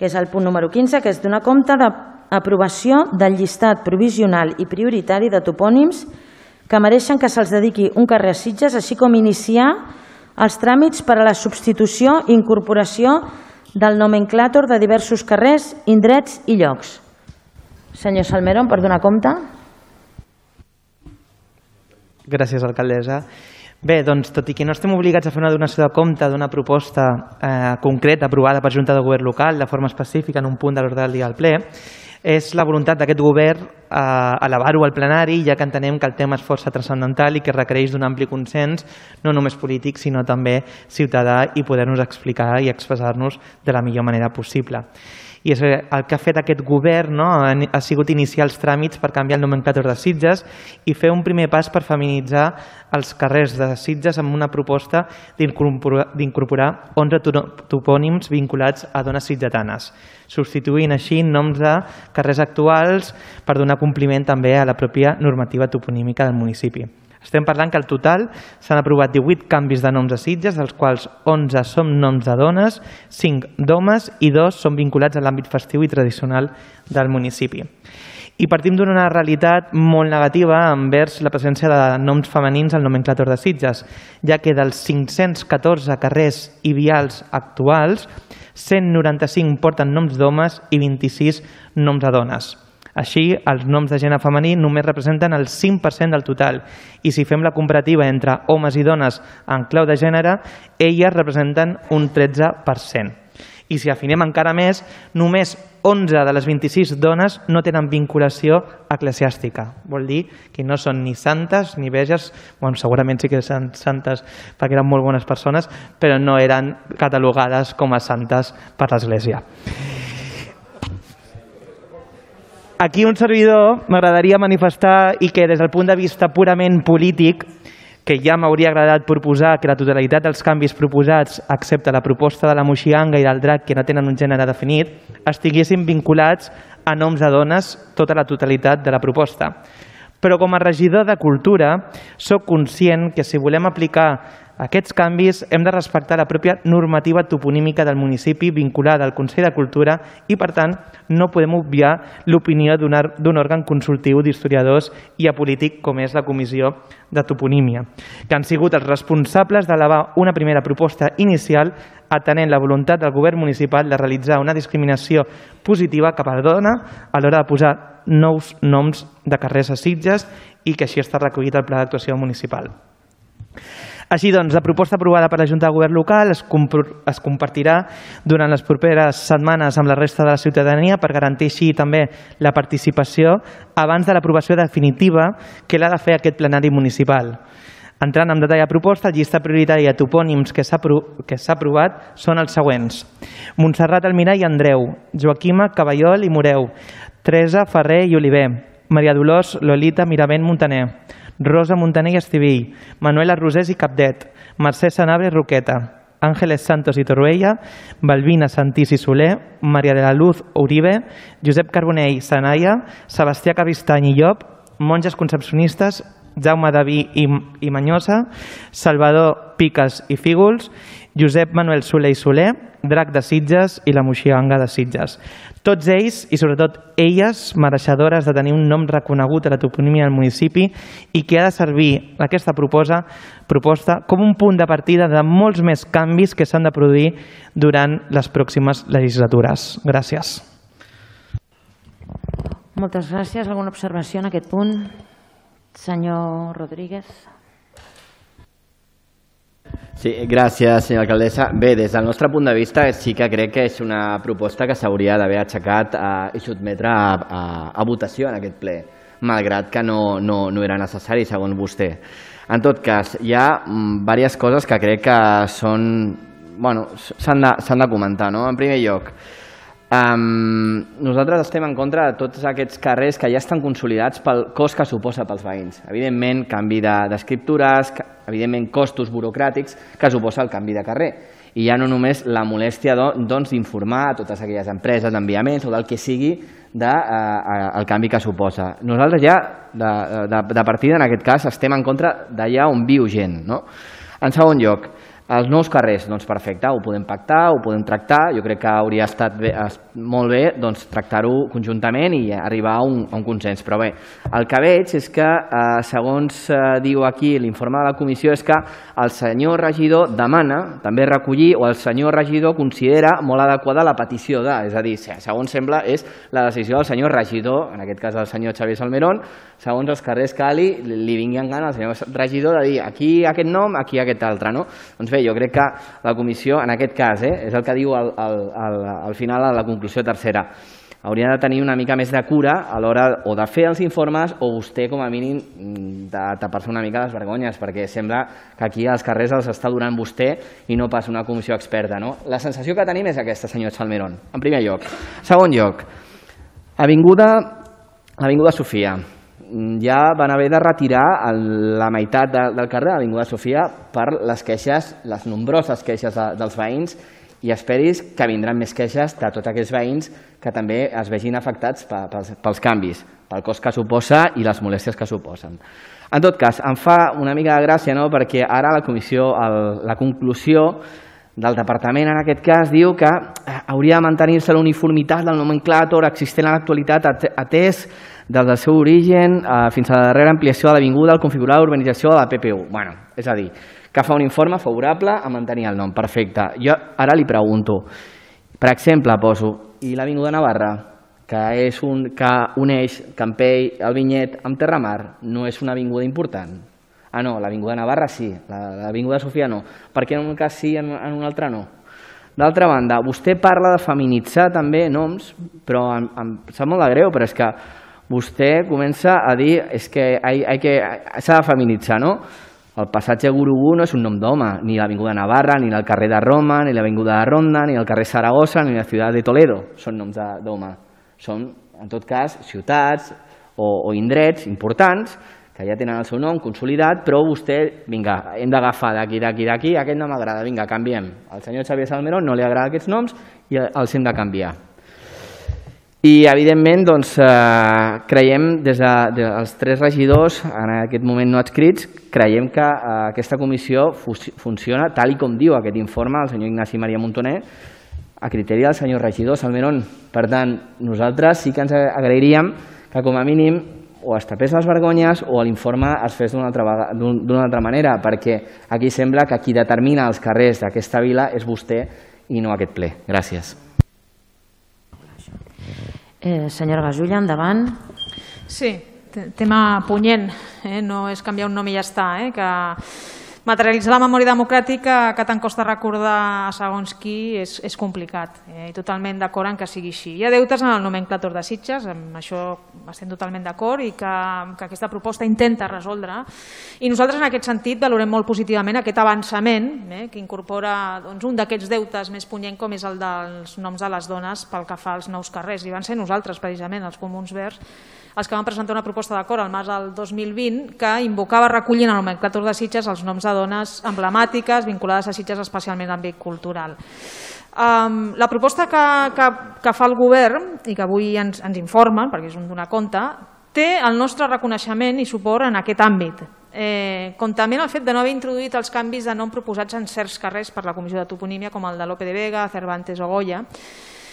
que és el punt número 15, que és donar compte d'aprovació del llistat provisional i prioritari de topònims que mereixen que se'ls dediqui un carrer a Sitges, així com iniciar els tràmits per a la substitució i incorporació del nomenclàtor de diversos carrers, indrets i llocs. Senyor Salmerón, per donar compte. Gràcies, alcaldessa. Bé, doncs, tot i que no estem obligats a fer una donació de compte d'una proposta concreta aprovada per Junta de Govern local de forma específica en un punt de l'ordre del dia del ple, és la voluntat d'aquest govern elevar-ho al plenari, ja que entenem que el tema és força transcendental i que requereix d'un ampli consens, no només polític, sinó també ciutadà, i poder-nos explicar i expressar-nos de la millor manera possible. I el que ha fet aquest govern ha sigut iniciar els tràmits per canviar el nomenclàtor de Sitges i fer un primer pas per feminitzar els carrers de Sitges amb una proposta d'incorporar 11 topònims vinculats a dones sitgetanes, substituint així noms de carrers actuals per donar compliment també a la pròpia normativa toponímica del municipi. Estem parlant que al total s'han aprovat 18 canvis de noms a Sitges, dels quals 11 són noms de dones, 5 d'homes i 2 són vinculats a l'àmbit festiu i tradicional del municipi. I partim d'una realitat molt negativa envers la presència de noms femenins al nomenclàtor de Sitges, ja que dels 514 carrers i vials actuals, 195 porten noms d'homes i 26 noms de dones. Així, els noms de gènere femení només representen el 5% del total i si fem la comparativa entre homes i dones en clau de gènere, elles representen un 13%. I si afinem encara més, només 11 de les 26 dones no tenen vinculació eclesiàstica. Vol dir que no són ni santes ni veges, segurament sí que són santes perquè eren molt bones persones, però no eren catalogades com a santes per l'Església. Aquí un servidor m'agradaria manifestar i que des del punt de vista purament polític, que ja m'hauria agradat proposar que la totalitat dels canvis proposats, excepte la proposta de la moxianga i del drac, que no tenen un gènere definit, estiguessin vinculats a noms de dones tota la totalitat de la proposta. Però com a regidor de Cultura, soc conscient que si volem aplicar aquests canvis hem de respectar la pròpia normativa toponímica del municipi vinculada al Consell de Cultura i, per tant, no podem obviar l'opinió d'un òrgan consultiu d'historiadors i apolític com és la Comissió de Toponímia, que han sigut els responsables d'elevar una primera proposta inicial atenent la voluntat del govern municipal de realitzar una discriminació positiva cap a la dona a l'hora de posar nous noms de carrers a Sitges i que així està recollit al Pla d'Actuació Municipal. Així doncs, la proposta aprovada per la Junta de Govern local es compartirà durant les properes setmanes amb la resta de la ciutadania per garantir així també la participació abans de l'aprovació definitiva que l'ha de fer aquest plenari municipal. Entrant en detall a proposta, el llistat prioritari de topònims que s'ha aprovat són els següents: Montserrat Almirall i Andreu, Joaquima Caballol i Moreu, Teresa Ferrer i Oliver, Maria Dolors Lolita Miravent Montaner, Rosa Montaner i Estivill, Manuela Rosés i Capdet, Mercè Sanabria i Roqueta, Ángeles Santos i Torroella, Balbina Santís i Soler, Maria de la Luz Uribe, Josep Carbonell i Sanaya, Sebastià Caristany i Llop, monges concepcionistes, Jaume Daví i Manyosa, Salvador Piques i Fígols, Josep Manuel Soler i Soler, Drac de Sitges i la Moxianga de Sitges. Tots ells, i sobretot elles, mereixedores de tenir un nom reconegut a la toponímia del municipi i que ha de servir aquesta proposta com un punt de partida de molts més canvis que s'han de produir durant les pròximes legislatures. Gràcies. Moltes gràcies. Alguna observació en aquest punt? Senyor Rodríguez. Sí, gràcies, senyora alcaldessa. Bé, des del nostre punt de vista sí que crec que és una proposta que s'hauria d'haver aixecat i sotmetre a votació en aquest ple, malgrat que no era necessari, segons vostè. En tot cas, hi ha diverses coses que crec que s'han de comentar. En primer lloc, nosaltres estem en contra de tots aquests carrers que ja estan consolidats pel cost que suposa pels veïns. Evidentment, canvi d'escriptures, evidentment costos burocràtics que suposa el canvi de carrer. I ja no només la molèstia d'informar a totes aquelles empreses d'enviaments o del que sigui del canvi que suposa. Nosaltres ja, de partida, en aquest cas, estem en contra d'allà on viu gent. En segon lloc, Els nous carrers, doncs perfecte, ho podem pactar, ho podem tractar, jo crec que hauria estat molt bé tractar-ho conjuntament i arribar a un consens. Però bé, el que veig és que, segons diu aquí l'informe de la comissió, és que el senyor regidor demana també recollir, o el senyor regidor considera molt adequada la petició de, és a dir, segons sembla, és la decisió del senyor regidor, en aquest cas del senyor Xavier Salmerón, segons els carrers que li vinguin gana al senyor regidor de dir aquí aquest nom, aquí aquest altre, no? Doncs bé, jo crec que la comissió, en aquest cas, és el que diu al final a la conclusió tercera, hauria de tenir una mica més de cura a l'hora o de fer els informes o vostè, com a mínim, de tapar-se una mica les vergonyes, perquè sembla que aquí als carrers els està donant vostè i no pas una comissió experta, no? La sensació que tenim és aquesta, senyor Salmerón, en primer lloc. Segon lloc, Avinguda Sofia. Ja van haver de retirar la meitat del carrer de l'Avinguda Sofia per les queixes, les nombroses queixes dels veïns, i esperis que vindran més queixes de tots aquells veïns que també es vegin afectats pels canvis, pel cost que suposa i les molèsties que suposen. En tot cas, em fa una mica de gràcia, no?, perquè ara la comissió, la conclusió del departament en aquest cas diu que hauria de mantenir-se la uniformitat del nomenclàtor existent a l'actualitat atès des del seu origen fins a la darrera ampliació de l'avinguda al configurar l'urbanització de la PPU. Bueno, és a dir, que fa un informe favorable a mantenir el nom. Perfecte. Jo ara li pregunto, per exemple, poso, i l'Avinguda Navarra, que uneix Campell, el Vinyet amb Terramar, no és una avinguda important? Ah, no, l'Avinguda Navarra sí, l'Avinguda Sofia no. Per què en un cas sí i en un altre no? D'altra banda, vostè parla de feminitzar també noms, però em sap molt de greu, però és que vostè comença a dir que s'ha de feminitzar, no? El passatge Gurugú no és un nom d'home, ni l'Avinguda Navarra, ni el carrer de Roma, ni l'Avinguda de Ronda, ni el carrer Saragossa, ni la ciutat de Toledo són noms d'home. Són, en tot cas, ciutats o indrets importants que ja tenen el seu nom consolidat, però vostè, vinga, hem d'agafar d'aquí, aquest no m'agrada, vinga, canviem. Al senyor Xavier Salmerón no li agraden aquests noms i els hem de canviar. I, evidentment, doncs, creiem, des dels tres regidors, en aquest moment no adscrits, creiem que aquesta comissió funciona tal com diu aquest informe del senyor Ignasi Maria Montoner, a criteri del senyor regidor Salmerón. Per tant, nosaltres sí que ens agrairíem que, com a mínim, o es tapés les vergonyes o l'informe es fes d'una altra manera, perquè aquí sembla que qui determina els carrers d'aquesta vila és vostè i no aquest ple. Gràcies. Senyora Gasulla, endavant. Sí, tema punyent, no és canviar un nom i ja està, que materialitzar la memòria democràtica que tant costa recordar segons qui és complicat, i totalment d'acord en que sigui així. Hi ha deutes en el nomenclàtor de Sitges, amb això estem totalment d'acord i que aquesta proposta intenta resoldre, i nosaltres en aquest sentit valorem molt positivament aquest avançament que incorpora un d'aquests deutes més punyent com és el dels noms de les dones pel que fa als nous carrers, i van ser nosaltres precisament, els Comuns Verds, els que van presentar una proposta d'acord al març del 2020 que invocava recollir en el nomenclàtor de Sitges els noms de dones emblemàtiques vinculades a Sitges, especialment en l'àmbit cultural. La proposta que fa el govern i que avui ens informen, perquè és un donar compte, té el nostre reconeixement i suport en aquest àmbit, com també en el fet de no haver introduït els canvis de nom proposats en certs carrers per la Comissió de Toponímia, com el de Lope de Vega, Cervantes o Goya,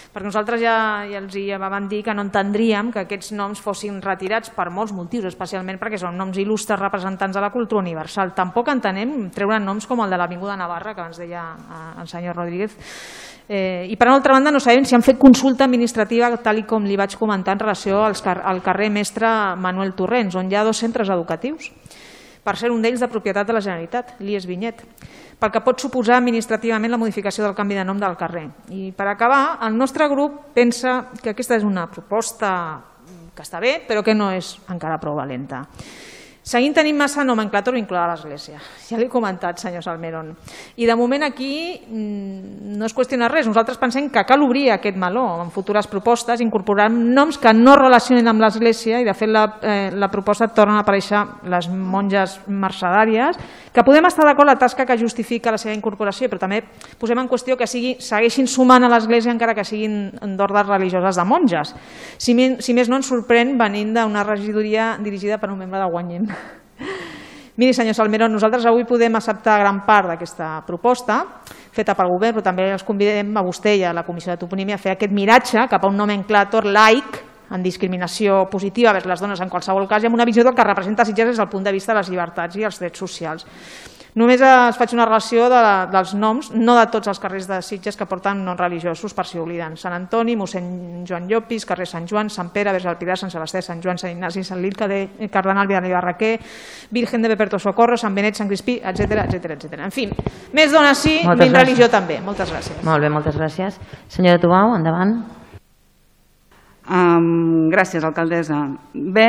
perquè nosaltres ja els vam dir que no entendríem que aquests noms fossin retirats per molts motius, especialment perquè són noms il·lustres representants de la cultura universal. Tampoc entenem treure noms com el de l'Avinguda Navarra, que abans deia el senyor Rodríguez. I per altra banda no sabem si han fet consulta administrativa, tal com li vaig comentar en relació al carrer Mestre Manuel Torrents, on hi ha 2 centres educatius, per ser un d'ells de propietat de la Generalitat, l'IES Vinyet, pel que pot suposar administrativament la modificació del canvi de nom del carrer. I per acabar, el nostre grup pensa que aquesta és una proposta que està bé, però que no és encara prou valenta. Seguim tenint massa nomenclàtor vinculada a l'Església. Ja l'he comentat, senyor Salmerón. I de moment aquí no es qüestiona res. Nosaltres pensem que cal obrir aquest meló en futures propostes, incorporant noms que no relacionen amb l'Església, i de fet la proposta torna a aparèixer les monges mercedàries, que podem estar d'acord la tasca que justifica la seva incorporació, però també posem en qüestió que segueixin sumant a l'Església encara que siguin d'ordres religioses de monges. Si més no ens sorprèn venint d'una regidoria dirigida per un membre de Guanyem. Miri, senyor Salmerón, nosaltres avui podem acceptar gran part d'aquesta proposta feta pel govern, però també els convidem a vostè i a la Comissió de Toponímia a fer aquest miratge cap a un nomenclàtor laic en discriminació positiva vers les dones en qualsevol cas i amb una visió del que representa Sitges des del punt de vista de les llibertats i els drets socials. Només es faig una relació dels noms, no de tots els carrers de Sitges que porten noms religiosos per si obliden. Sant Antoni, mossèn Joan Llopis, carrer Sant Joan, Sant Pere, Verge del Pilar, Sant Sebastià, Sant Joan, Sant Ignasi, Sant Lil, Cardenal Vidal i Barraquer, Virgen de Beperto Socorro, Sant Benet, Sant Crispí, etc. En fi, més dones sí, menys religió també. Moltes gràcies. Molt bé, moltes gràcies. Senyora Tubau, endavant. Gràcies, alcaldessa. Bé,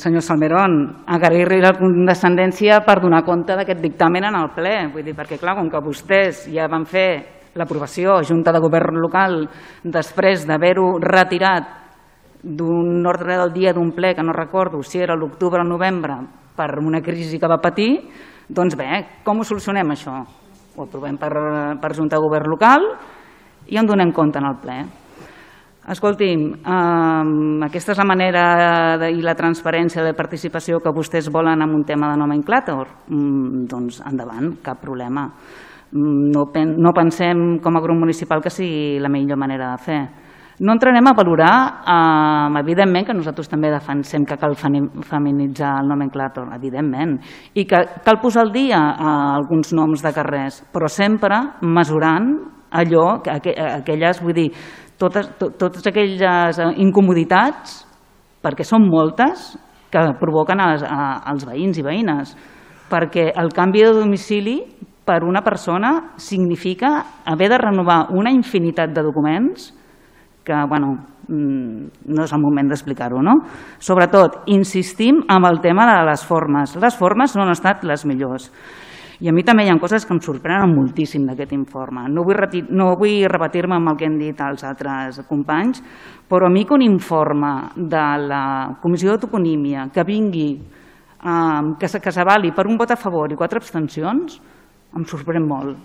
senyor Salmerón, agrair-li la condescendència per donar compte d'aquest dictamen en el ple. Vull dir, perquè clar, com que vostès ja van fer l'aprovació Junta de Govern Local després d'haver-ho retirat d'un ordre del dia d'un ple, que no recordo si era l'octubre o el novembre, per una crisi que va patir, doncs bé, com ho solucionem això? Ho aprovem per Junta de Govern Local i en donem compte en el ple. Escolti'm, aquesta és la manera i la transparència de participació que vostès volen en un tema de nomenclàtor? Doncs endavant, cap problema. No pensem com a grup municipal que sigui la millor manera de fer. No entrarem a valorar, evidentment, que nosaltres també defensem que cal feminitzar el nomenclàtor, evidentment, i que cal posar al dia alguns noms de carrers, però sempre mesurant allò, aquelles, vull dir, totes aquelles incomoditats, perquè són moltes, que provoquen als veïns i veïnes, perquè el canvi de domicili per una persona significa haver de renovar una infinitat de documents que, bueno, no és el moment d'explicar-ho, no? Sobretot, insistim en el tema de les formes. Les formes no han estat les millors. I a mi també hi ha coses que em sorprenen moltíssim d'aquest informe. No vull repetir-me amb el que han dit els altres companys, però a mi que un informe de la Comissió de Toponímia que vingui, que s'avali per un vot a favor i 4 abstencions, em sorprèn molt.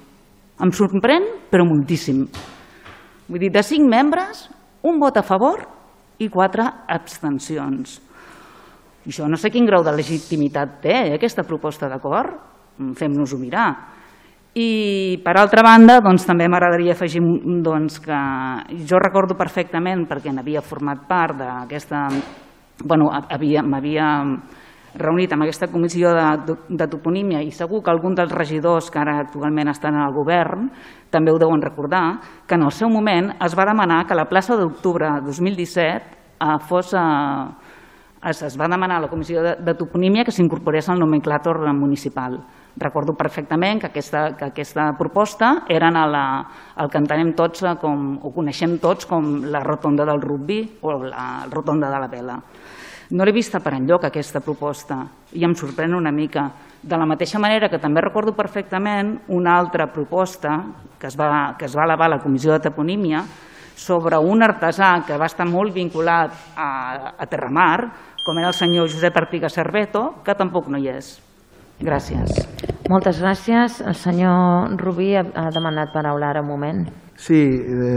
Em sorprèn, però moltíssim. Vull dir, de 5 membres, un vot a favor i 4 abstencions. I això no sé quin grau de legitimitat té, aquesta proposta d'acord. Fem-nos-ho mirar. I per altra banda, també m'agradaria afegir que jo recordo perfectament, perquè n'havia format part d'aquesta, m'havia reunit amb aquesta comissió de toponímia i segur que algun dels regidors que ara actualment estan en el govern també ho deuen recordar, que en el seu moment es va demanar que la plaça d'octubre de 2017 es va demanar a la comissió de toponímia que s'incorporés al nomenclàtor municipal. Recordo perfectament que aquesta proposta era el que entenem tots o coneixem tots com la rotonda del rugbi o la rotonda de la vela. No l'he vista per enlloc aquesta proposta i em sorprèn una mica. De la mateixa manera que també recordo perfectament una altra proposta que es va elevar a la comissió de toponímia sobre un artesà que va estar molt vinculat a Terramar, com era el senyor Josep Artiga Cerveto, que tampoc no hi és. Gràcies. Moltes gràcies. El senyor Rubí ha demanat paraula ara un moment. Sí,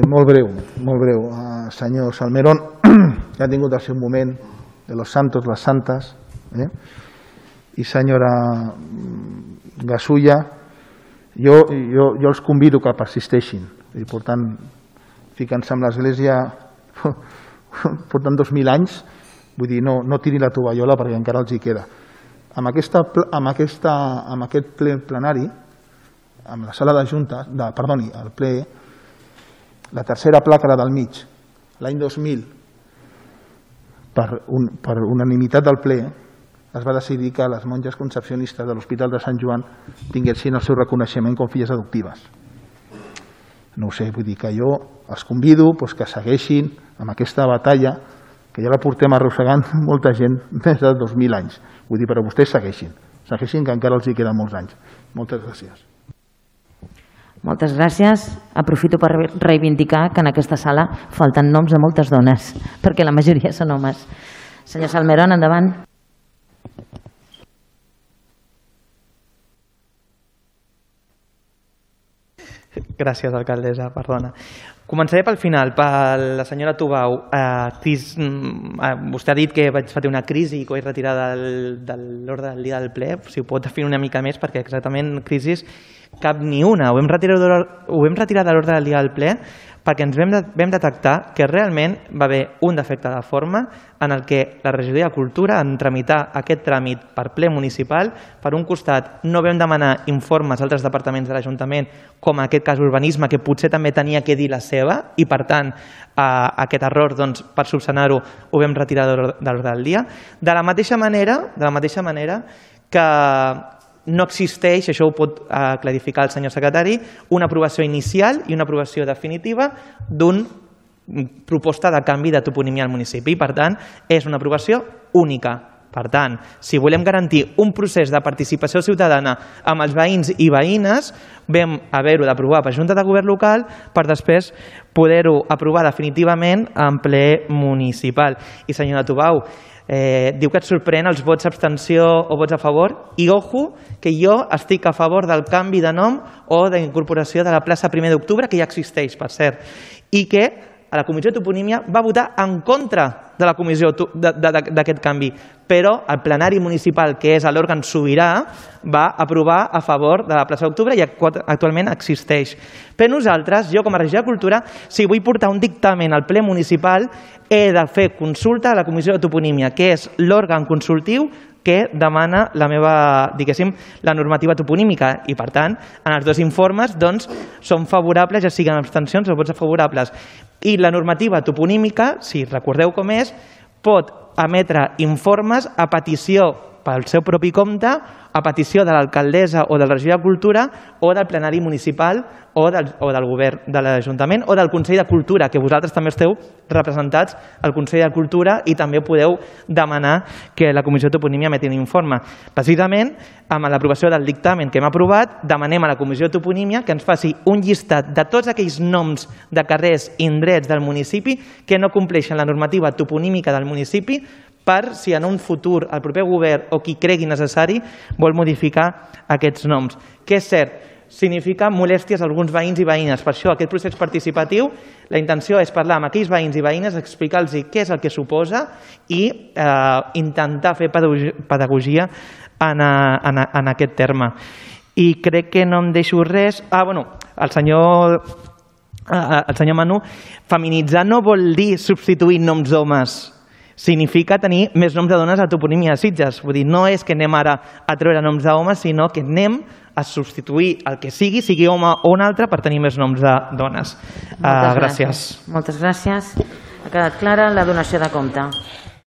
molt breu, molt breu. Senyor Salmerón, que ha tingut el seu moment de los santos, las santas, i senyora Gasulla, jo els convido que persisteixin. I per tant, ficant-se amb l'Església portant 2.000 anys, vull dir, no tiri la tovallola perquè encara els hi queda. Amb aquest ple plenari, amb la sala de junta, el ple, la tercera placa del mig, l'any 2000, per unanimitat del ple, es va decidir que les monges concepcionistes de l'Hospital de Sant Joan tinguessin el seu reconeixement com filles adoptives. No ho sé, vull dir que jo els convido que segueixin amb aquesta batalla que ja la portem arrossegant molta gent més de 2.000 anys. Vull dir, però vostès segueixin, que encara els hi queden molts anys. Moltes gràcies. Moltes gràcies. Aprofito per reivindicar que en aquesta sala falten noms de moltes dones, perquè la majoria són homes. Senyor Salmerón, endavant. Gràcies, alcaldessa, perdona. Començaré pel final, per la senyora Tubau. Vostè ha dit que vaig patir una crisi i que ho vaig retirar de l'ordre del dia del ple. Si ho pot definir una mica més, perquè exactament crisi cap ni una. Ho vam retirar de l'ordre del dia del ple perquè ens vam detectar que realment va haver un defecte de forma en el que la regidoria de Cultura, en tramitar aquest tràmit per ple municipal, per un costat no vam demanar informes a altres departaments de l'Ajuntament, com en aquest cas urbanisme, que potser també tenia que dir la seva, i per tant aquest error, per subsanar-ho, ho vam retirar de l'ordre del dia. De la mateixa manera que no existeix, això ho pot clarificar el senyor secretari, una aprovació inicial i una aprovació definitiva d'una proposta de canvi de toponímia al municipi. Per tant, és una aprovació única. Per tant, si volem garantir un procés de participació ciutadana amb els veïns i veïnes, vam haver-ho d'aprovar per Junta de Govern local per després poder-ho aprovar definitivament en ple municipal. I senyora Tubau, diu que et sorprèn els vots abstenció o vots a favor, i ojo que jo estic a favor del canvi de nom o de incorporació de la plaça 1 d'octubre, que ja existeix, per cert, i que a la Comissió de Toponímia va votar en contra de la comissió d'aquest canvi, però el plenari municipal, que és l'òrgan sobirà, va aprovar a favor de la plaça d'Octubre i actualment existeix. Per nosaltres, jo com a regidor de Cultura, si vull portar un dictamen al ple municipal, he de fer consulta a la Comissió de Toponímia, que és l'òrgan consultiu que demana la meva, diguéssim, la normativa toponímica, i per tant, en els dos informes són favorables, ja siguin abstencions o vots favorables. I la normativa toponímica, si recordeu com és, pot emetre informes a petició pel seu propi compte, a petició de l'alcaldessa o del regidor de Cultura o del plenari municipal o del govern de l'Ajuntament o del Consell de Cultura, que vosaltres també esteu representats al Consell de Cultura i també podeu demanar que la Comissió de Toponímia emeti un informe. Precisament, amb l'aprovació del dictamen que hem aprovat, demanem a la Comissió de Toponímia que ens faci un llistat de tots aquells noms de carrers i indrets del municipi que no compleixen la normativa toponímica del municipi, per si en un futur el proper govern o qui cregui necessari vol modificar aquests noms. Que és cert, significa molèsties a alguns veïns i veïnes. Per això, aquest procés participatiu, la intenció és parlar amb aquells veïns i veïnes, explicar-los què és el que suposa i intentar fer pedagogia en aquest terme. I crec que no em deixo res. El senyor Manu, feminitzar no vol dir substituir noms d'homes. Significa tenir més noms de dones a toponímia de Sitges. Vull dir, no és que anem ara a treure noms d'homes, sinó que anem a substituir el que sigui home o un altre, per tenir més noms de dones. Gràcies. Moltes gràcies. Ha quedat clara la donació de compte.